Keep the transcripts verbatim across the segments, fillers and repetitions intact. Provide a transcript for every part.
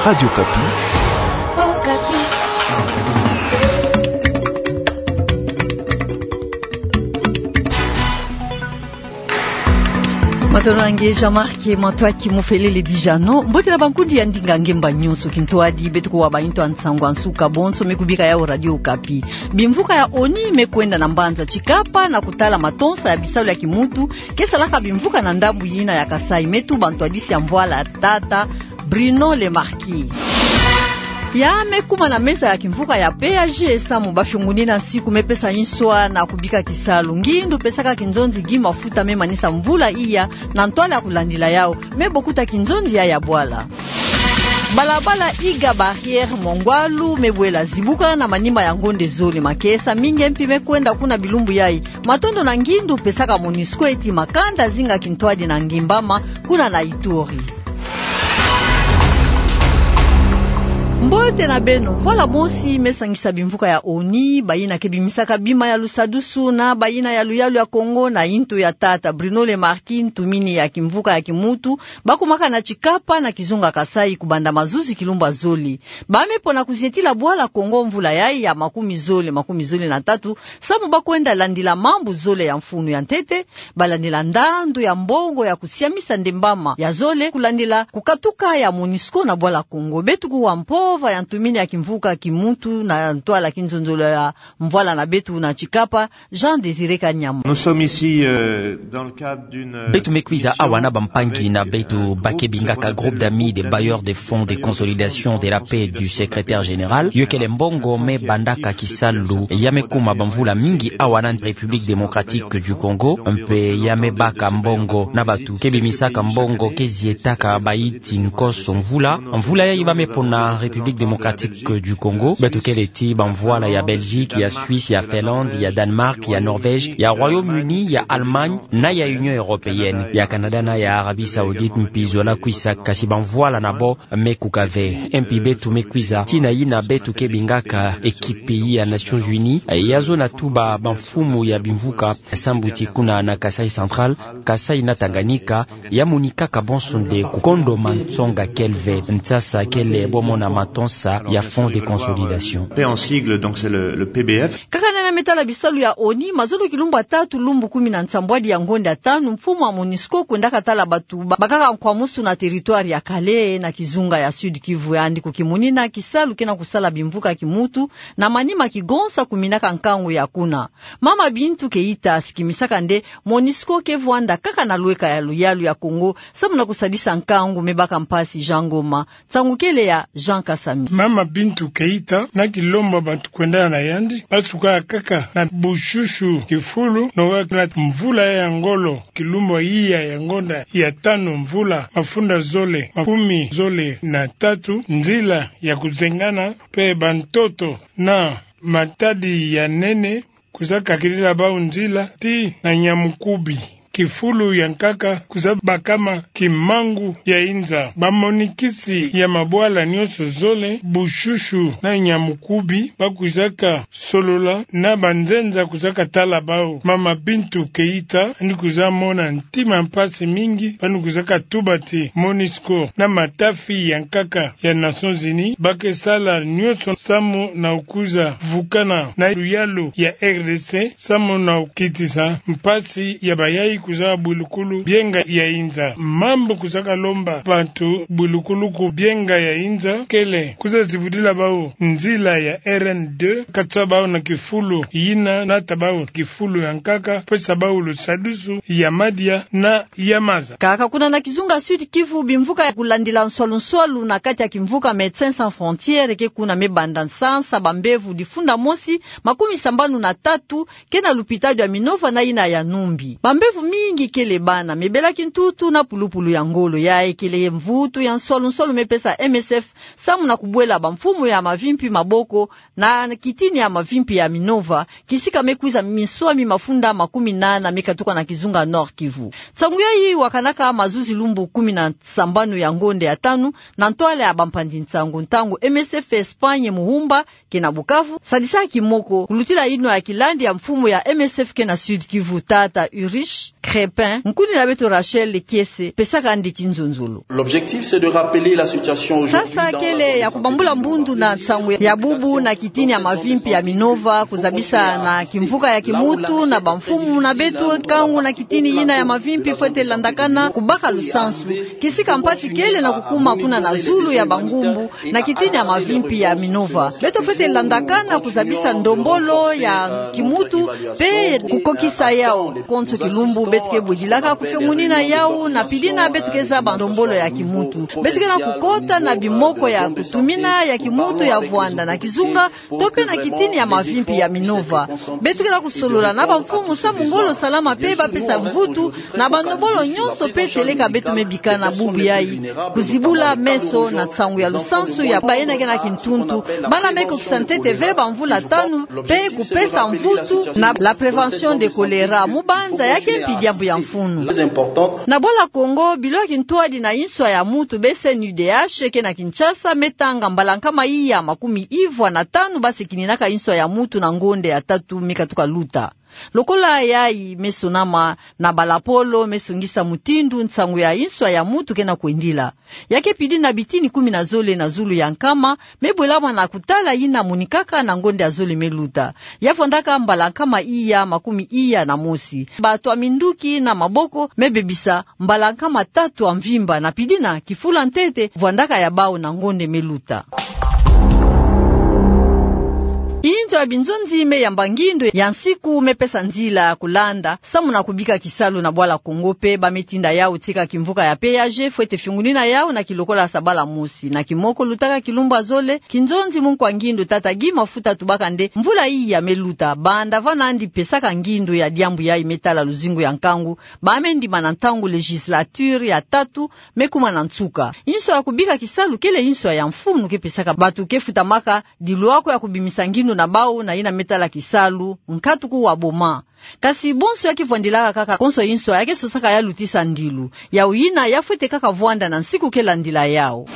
Radio Okapi. Matondo na nge Jean-Marc Matsoua, ki mufelele dija no. Mbote na bankundi ya ndinga ngemba nyonso, kintwadi beto kuwa ba intu ya nsangu ya nsuka bonso me kubika yawu Radio Okapi. Bimvuka ya ONI me kwenda na mbanza Tshikapa na kutala matonsa ya bisalu ya kimuntu ke salaka bimvuka na ndambu yina ya Kasaï, me tuba ntwadisi ya mvwala tata Bruno Le Marquis. Ya me kuma na mesa ya kimvuka ya P A G samu ba fiongunina nsiku me pesa nswa na kubika kisalu. Ngindu pesaka kinzonzi gi mafuta me manisa mvula iya na ntwala ya kulandila yawu, me bokuta kinzonzi ya ya bwala. Balabala Iga Barrière Mongwalu me bwela zibuka na manima ya ngonde zole. Makesa mingi mpi me kwenda kuna bilumbu yayi. Matondo na ngindu pesaka MONUSCO eti makanda zinga kintwadi na Ngimbama kuna na Ituri. Mbote na beno. Mvwala mosi me sangisa bimvuka ya ONI, bayina ke bimisaka bima ya lusadusu na bayina ya luyalu ya Kongo na intu ya tata Bruno Le Marquis, ntumini ya kimvuka ya kimuntu, ba kumaka na Tshikapa na kizunga Kasaï kubanda mazuzi kilumbu ya zole. Ba me pona kuzietila bwala Kongo mvula yayi ya makumi zole, makumi zole na tatu, samu ba kwenda landila mambu zole ya mfunu. Ya ntete, ba landila ndandu ya mbongo ya kusiamisa ndembama ya zole kulandila kukatuka ya MONUSCO na bwala Kongo. Beto kuwa mpova ya ntumini ya kimvuka kimuntu na ntwala kinzonzolo ya mvwala na beto na Tshikapa, Jean Désiré Kanyama. Nous sommes ici, euh, dans le cadre d'une, euh, Beto me kwiza awa na bampangi na beto ba ke bingaka Groupe d'amis des bailleurs de fonds de consolidation de la paix du secrétaire général. Yo kele mbongo me bandaka kisalu ya me kuma bamvula mingi awa na République démocratique du Congo, mpe ya me baka mbongo na batu ke bimisaka mbongo ke zietaka bayi ti nkoso mvula. Mvula yayi ba me pona République démocratique du Congo, beto kele ti bamvwala ya Belgique, ya Suisse, ya Finlande, ya Danemark, ya Norvège, ya Royaume-Uni, ya Allemagne, na ya Union européenne, ya Canada na ya Arabie Saoudite mpi zola kwisa, kasi bamvwala na bo me kuka ve. Mpi beto me kwiza tina yina beto ke bingaka équipe ya Nations Unies, ya zona tuba bamfumu ya bimvuka sambuti kuna na Kasaï Central, Kasaï na Tanganyika, ya monikaka bonso nde kukondo mansonga kele ve. Nsasa kele bo mona matonsa ya fonds de consolidation. P en sigle, donc c'est le, le P B F. Kaka nana me tala bisalu ya ONI, mazolo kilumbu ya tatu lumbu kumi na nsambwadi ya ngonde ya tanu, mfumu ya MONUSCO kwendaka tala batu ba, bakaka nkwamusu na territoire ya Kale na kizunga ya Sud-Kivu, yandi kukimunina kisalu kena kusala bimvuka kimuntu na manima kigonsa kuminaka nkangu ya kuna. Mama Bintou Keita sikimisaka nde MONUSCO ke vwanda kaka na lweka ya luyalu ya Kongo, samu na kusadisa nkangu me baka mpasi. Jean Ngoma. Nsangu kele ya Jean Kasami. Mama Bintou Keita na kilombo batu kwendana na yandi, ba suka kaka na bushushu kifulu, noga na mvula ya ngolo, kilumbu iya ya ngonda ya tanu mvula mafunda zole makumi zole na tatu, nzila ya kuzengana mpe bantoto na matadi ya nene kwiza kakilila bau nzila tii na Nyamukubi. Kifulu ya nkaka kwiza bakama kimangu ya inza. Bamonikisi ya mabwala nyonso zole, bushushu na Nyamukubi, ba kwizaka solola na banzenza kwizaka tala bau. Mama Bintou Keita yandi kwiza mona ntima mpasi mingi, ba yandi kwizaka tuba ti MONUSCO na matafi ya nkaka ya Nations Unies ba ke sala nyonso samu na kwiza vukana na luyalu ya R D C, samu na kitisa mpasi ya bayayi kwiza bwilukulu bienga ya inza. Mambu kwizaka lomba bantu bwilukulu ku bienga ya inza kele kwiza zibudila bau nzila ya R N deux, kata bau na kifulu yina, nata bau kifulu ya nkaka, pesa bau lusadusu ya madia na ya maza. Kaka kuna na kizunga Sud-Kivu, bimvuka ya kulandila nswalu-nswalu na kati ya kimvuka Médecins Sans Frontières ke kuna, me banda nsansa bambevo difunda mosi makumi sambanu na tatu ke na lupitalu ya Minova na yina ya Numbi. Bambevo mingi kele bana, me bela kintutu na pulupulu ya ngolo. Yayi kele mvutu ya nswalu-nswalu me pesa M S F samu na kubwela bamfumu ya mavimpi maboko na kitini ya mavimpi ya Minova, kisika me kwiza minswami mafunda makumi nana me katuka na kizunga Nord-Kivu. Nsangu yayi wakanaka mazuzi lumbu kumi na sambanu ya ngonde ya tanu na ntwala ya bampanzi nsangu, ntangu M S F Espagne Muhumba ke na Bukavu, sadisaki moko kulutila yinwa ya kilandi ya mfumu ya M S F ke na Sud-Kivu, tata Ulrich Crépin, nkuni na beto Rachel Kiese, pesaka ndi kinzonzolo. L'objectif, c'est de rappeler la situation aujourd'hui. Sasa kele ya kubambula mbundu na nsangu ya bubu na kitini ya mavimpi ya Minova, kuzabisa na kimvuka ya kimutu na bamfumu na beto, nkangu na kitini yina ya mavimpi fwete landakana kubaka lusansu. Kisika mpasi kele na kukuma kuna na zulu ya bangumbu, na kitini ya mavimpi ya Minova. Beto fwete landakana kuzabisa ndombolo ya kimutu, pe kukokisa yau. Konso kilumbu beto ke bwidilaka kufiongunina yau, na pidina beto ke zaba ndombolo ya kimutu. Beto ke na kukota na bimoko ya kutumina ya kimutu ya vwanda na kizunga, to pe na kitini ya mavimpi ya Minova. Beto ke na kusolola na bamfumu samu ngolo salama pe bapesa mvutu na bandombolo nyonso pe teleka beto me bikana bubu yayi, kuzibula meso na nsangu ya lusansu ya bayina ke na kintuntu, bana me kokisa ntete ve bamvula tanu, pe kupesa mvutu na la prévention de choléra. Mu banza ya ke mpi diambu ya mfunu. Na bwala Kongo, bilo ya kintwadi na inswa ya mutu, B C N U D H, ke na Kinshasa, me tanga mbala nkama iya makumi ivwa na tanu basikininaka inswa ya mutu na ngonde ya tatu me katuka luta. Lokola yayi me sonama na balapolo me songisa mutindu nsangu ya inswa ya mutu ke na kwendila. Ya ke pidi na bitini kumi na zole na zulu ya nkama, me bwelama na kutala yina monikaka na ngonde ya zole me luta. Ya vwandaka mbala nkama iya makumi iya na mosi. Bato ya minduki na maboko me bebisa mbala nkama tatu ya mvimba, na pidina kifula ntete vwandaka ya bau na ngonde me luta. Inzo ya binzonzi me yamba ngindo ya nsiku me pesa nzila ya kulanda samu na kubika kisalu na bwala Kongo, pe ba me tinda yau tika kimvuka ya péage fwete fiongunina yau na kilokola sabala mosi. Na kimoko lutaka kilumbu ya zole, kinzonzi munkwa ngindo tata Guy Mafuta atubaka nde mvula iya me luta, banda va nandi pesaka ngindo ya diambu yayi me tala luzingu ya nkangu, ba me ndima na ntangu législature ya tatu me kuma na nsuka. Inswa ya kubika kisalu kele inswa ya mfunu ke pesaka bato ke futamaka dilwako ya kubimisa ngindo na bau na yina me tala kisalu, nkatuku wa boma. Kasi bonso ya ke vwandilaka kaka konso inswa ya ke sosaka ya lutisa ndilu. Yau yina ya fwete kaka vwanda na nsiku ke landila yau.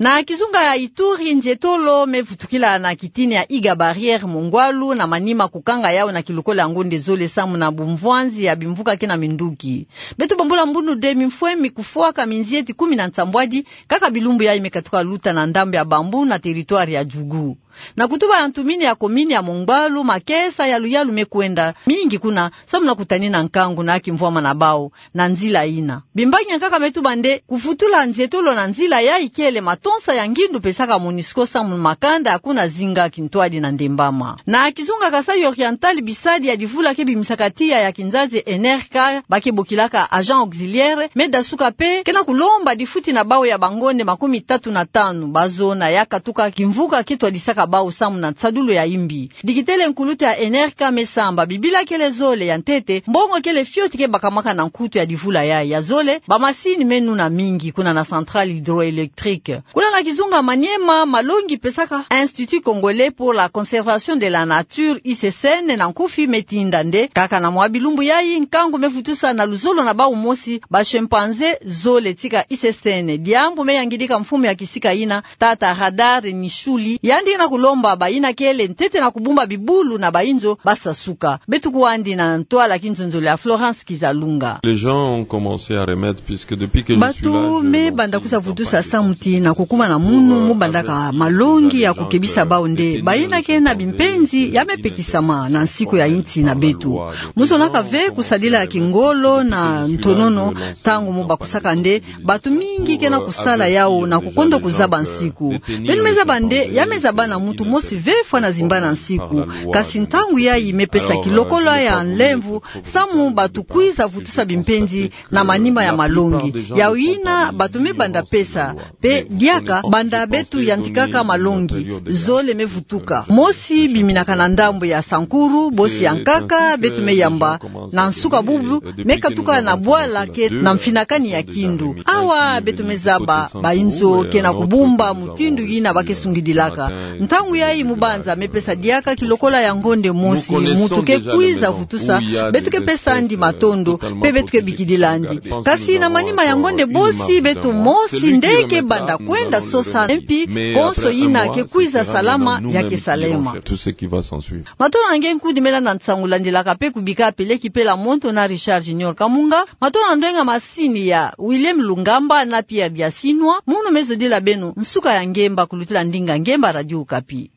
Na kizunga ya Ituri, nzietolo me vutukila na kitini ya Iga Barrière Mongwalu na manima kukanga yau na kilokola ya ngonde zole samu na bumvwanzi ya bimvuka ke na minduki. Beto bambula mbunu de mimfwe mi kufwaka minzieti kumi na nsambwadi, kaka bilumbu yayi me katuka luta na ndambu ya Bambou na territoire ya Djougou. Na kutuba ya ntumini ya komini ya Mongwalu, makesa ya luyalu me kwenda mingi kuna samu na kutanina nkangu na kimvwama na bau na nzila yina. Bimbangi ya nkaka me tuba nde kuvutula nzietolo na nzila yayi kele matonsa ya ngindu pesaka MONUSCO samu makanda ya kuna zinga kintwadi na ndembama. Na kizunga Kasaï Oriental, bisadi ya divula ke bimisaka tiya ya kinzazi N R K, ba ke bokilaka agent auxiliaire, me dasuka pe ke na kulomba difuti na bau ya bangonde makumi tatu na tanu, ba zona ya katuka kimvuka ke twadisaka bau samu na nsadulu ya imbi. Dikitele nkulutu ya N R K me samba, bibila kele zole, ya ntete mbongo kele fioti ke bakamaka na nkutu ya divula yayi. Ya zole, bamasini me nuna mingi kuna na centrale hydroélectrique. Kuna na kizunga Maniema, malongi pesaka Institut Congolais pour la Conservation de la Nature, I C C N na nkufi, me tinda nde kaka na mwa bilumbu yayi nkangu me vutusa na luzolo na bau mosi ba chimpanzé zole tika I C C N. Diambu me yangidika mfumu ya kisika yina, tata Radar Nishuli, yandi na kulomba bayina kele ntete na kubumba bibulu na bayinzo ba sasuka. Beto kwandi na ntwala kinzonzolo ya Florence Kizalunga. Les gens ont commencé à remettre, puisque depuis que je suis là, je... Bato me banda kwiza vutusa samu ti na kukuma na munu mu bandaka malongi ya kukebisa bau nde bayina ke na bimpenzi ya me pekisama na nsiku ya insi na beto. Mu sonaka ve kusadila kingolo na ntonono ntangu mu bakusaka nde bato mingi ke na kusala yau na kukondo kuzaba nsiku. Beno me zaba nde ya me zaba na muntu mosi ve fwana zimbana nsiku. Kasi ntangu yayi me pesa kilokola ya nlemvo samu bato kwiza vutusa bimpenzi na manima ya malongi. Yau yina bato me banda pesa, pe diaka banda beto yantikaka malongi, zole me vutuka. Mosi biminaka na ndambu ya Sankuru, bosi ya nkaka beto me yamba na nsuka bubu, me katuka na bwala ke na mfinakani ya kindu. Awa beto me zaba bayinzo ke na kubumba mutindu yina ba ke sungidilaka. Ntangu yayi mubanza mepesa diaka kilokola ya ngonde mosi, muntu ke kwiza vutusa, beto ke pesa ndi matondo, pe beto ke bikidila ndi. Kasi na manima ya ngonde bosi, beto mosi nde ke banda kwenda sosa, mpi konso yina ke kwiza salama ya ke salema. Matondo na nge nkudi me landa nsangu landilaka pe kubika peleki pela monto na Richard Junior Kamunga. Matondo na ndwenga masini ya William Lungamba na Pierre Biasinwa. Munu me zodila beno nsuka ya ngemba kulutila ndinga ngemba Radio Okapi.